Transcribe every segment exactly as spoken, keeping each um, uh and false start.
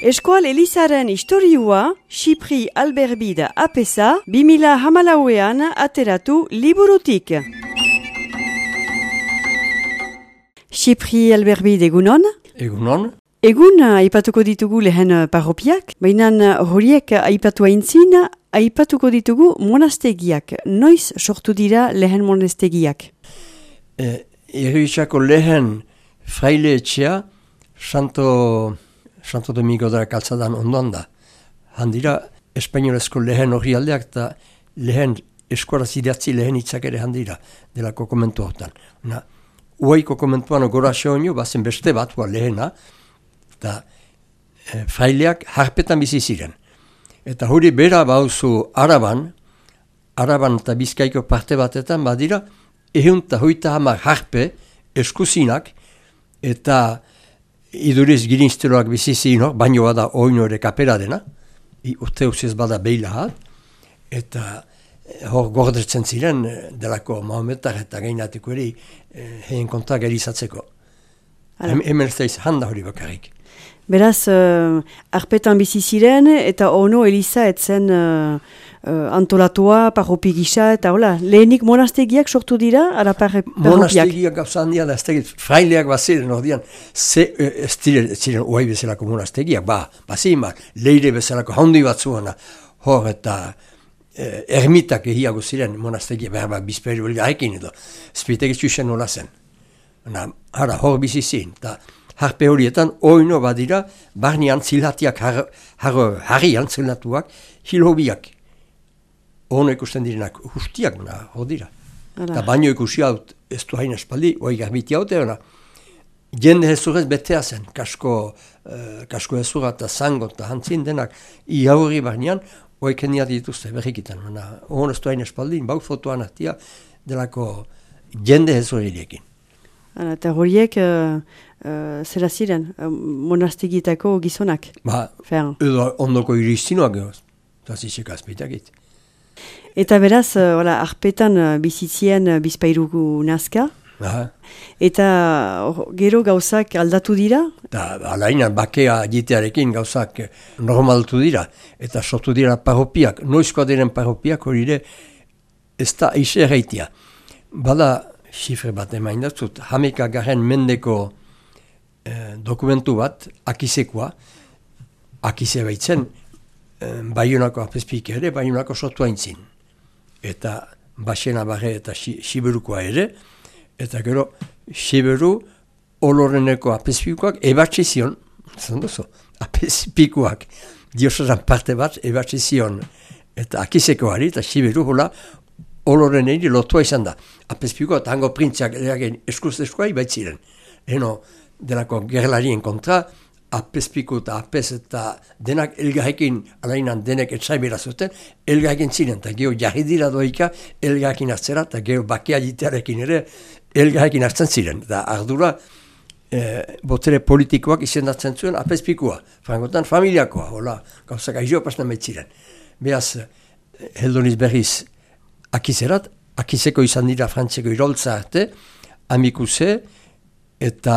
Eskual Elizaren historiua, Xipri Alberbide apesa, bi mila hamalauean ateratu liburutik. Xipri Alberbide egunon? Egunon. Egun aipatuko ditugu lehen parropiak, baina horiek aipatu aintzin, aipatuko ditugu monastegiak. Noiz sortu dira lehen monastegiak? E, Eribisako lehen fraile etxea, Santo, Santo Domingo da kaltzadan ondoan da. Handira, espainolezko lehen hori aldeak eta lehen eskuaraz idatzi lehen hitzak ere handira, delako komentu hortan. Na, uaiko komentuan gora xeonio, bazen beste bat, ua lehena, eta e, fraileak harpetan bizi ziren. Eta hori bera bauzu Araban, Araban eta Bizkaiko parte batetan, badira, ehun eta hoita hamar harpe, eskuzinak, eta iduriz girinzteloak bizizi hor, baino bada oino ere kapera dena, urte usez bada behilahat, eta hor gordetzen ziren delako Mahometar eta gainatiko eri heen kontak erizatzeko. Hemen ez daiz handa hori bakarrik. Beraz, uh, arpetan bizi ziren eta ono Eliza etzen uh, uh, antolatua, parropi gisa eta hola, lehenik monastegiak sortu dira, ara parropiak? Monastegiak gauza handia da, ez tegit, fraileak baziren ordean, ze, ez ziren, ziren uai bezalako monastegiak, ba, bazimar, leire bezalako handi batzuana, hor eta eh, ermitak ehiago ziren monastegiak, behar bat bizperi hori haekin edo, spitek txusen nola zen. Na, hara, hor bizi zin, eta harpe horietan, oino badira, barnean zilhatiak, har, har, harrian zilhatuak, hilhobiak. Ono ikusten direnak, ustiak, na, hor dira. Eta baino ikusi haut, ez du hain espaldi, oi garbiti haute hona. Jende hezurez betea zen, kasko, uh, kasko hezura eta zango eta hantzin denak, iaurri barnean, oi kenia dituzte berrikitan. Ono ez du hain espaldi, bau fotoan atia, delako jende hezurilekin. Eta horiek, uh, uh, zera ziren, uh, monastegitako gizonak? Ba, edo ondoko iristinoak gehoz, eta zizek azpeitakit. Eta beraz, uh, ola, arpetan uh, bizitzien uh, bizpairugu nazka, aha. Eta or, gero gauzak aldatu dira? Eta alainan bakea jitearekin gauzak normaltu dira, eta sortu dira parropiak, noizkoa diren parropiak hori ere, ez da eixe erreitia. Bada, xifre bat emain datzut, hameka garen mendeko eh, dokumentu bat, akizekoa, akize baitzen, eh, Baionako apezpik ere, Baionako sortu haintzin. Eta Baxena barre eta Siberukoa ere, eta gero Siberu oloreneko apezpikoak ebatzi zion, zan duzu, apezpikoak, diosazan parte bat ebatzi zion, eta akizekoari eta Siberu hola, oloren eri lotua izan da. Apezpiko eta hango printziak eskuz-eskuai baitziren. Eno, delako gerlarien kontra, apezpiko eta apez eta denak elgarrekin, alainan denek etzaibera zuten, elgarrekin ziren, eta geho jarri dira doika elgarrekin hartzera, eta geho bakea jitearekin ere elgarrekin hartzen ziren. Eta ardura, e, botere politikoak izendatzen zuen apezpikoa, frangotan familiakoa, hola, gauzak aizio pasna baitziren. Beaz, heldoniz berriz, akizerat, akizeko izan dira frantzeko iroltza arte, amikuse eta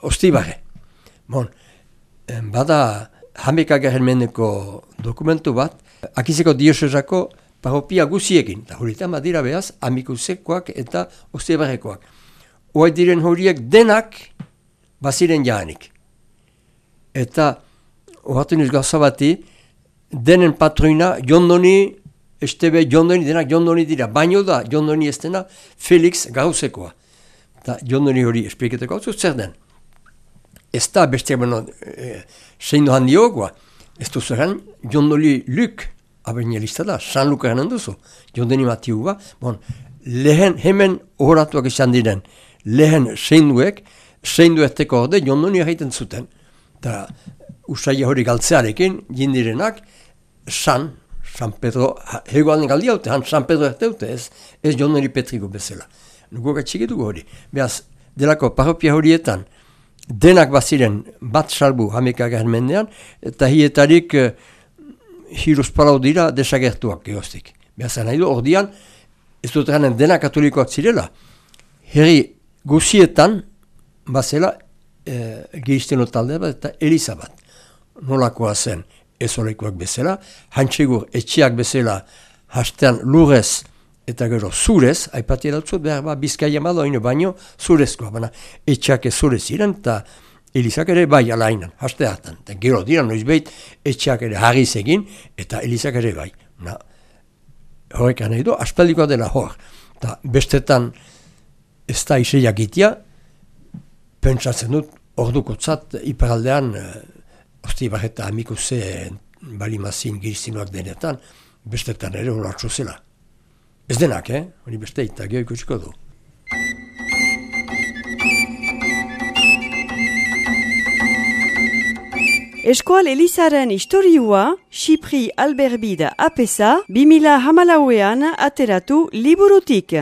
ostibarre. Bon, bada hameka garen mendeko dokumentu bat, akizeko diosezako parropia guziekin, eta horietan badira behaz, amikusekoak eta ostibarrekoak. Oai diren horiek denak baziren jahanik. Eta, horretu niz gauza bati, denen patroina jondoni, Estebe jondoni denak jondoni dira, baino da jondoni ez dena Felix Gauzekoa. Eta jondoni hori espliketeko hau zer den. Ez da beste bueno, e, zein dohan diogoa. Ez duzueran jondoli Luk, abenelista da, San Lukaren duzu. Jondoni Matiu ba, bon, lehen hemen horatuak izan diren, lehen zeinduek, zeindu ezteko orde jondoni egiten zuten. Eta usaila hori galtzearekin, jindirenak, San, San Pedro, hegoan galdi haute, han San Pedro erteute, ez, ez jondoni Petriko bezala. Nugo gatxiketuko hori. Beaz, delako parropia horietan, denak baziren bat salbu hameka garen mendean, eta hietarik uh, hiruz palau dira desagertuak egoztik. Beaz, nahi du, ordian, ez dut ganen denak katolikoak zirela, herri guzietan, bazela, eh, Giristeno talde bat eta Eliza bat. nolakoa zen ez olekoak bezala, hantxegur etxiak bezala hastean lurez eta gero zurez, aipati dautzut behar ba, Bizkaia madoino baino zurezkoa, baina etxak ez zurez ziren, eta Elizak ere bai alainan, haste hartan. Eta gero dira noizbait etxak ere harriz egin, eta Elizak ere bai. Na, horrek nahi du, aspaldikoa dela hor. Eta bestetan ez da iseiak itia, pentsatzen dut, ordukotzat iparaldean, osti barreta amiko ze balimazin girizinoak denetan, bestetan ere horatxo zela. Ez denak, eh? Hori beste eta geho ikusiko du. Eskoal Elizaren historiua, Xipri Alberbida apesa, bi mila hamalauean ateratu liburutik.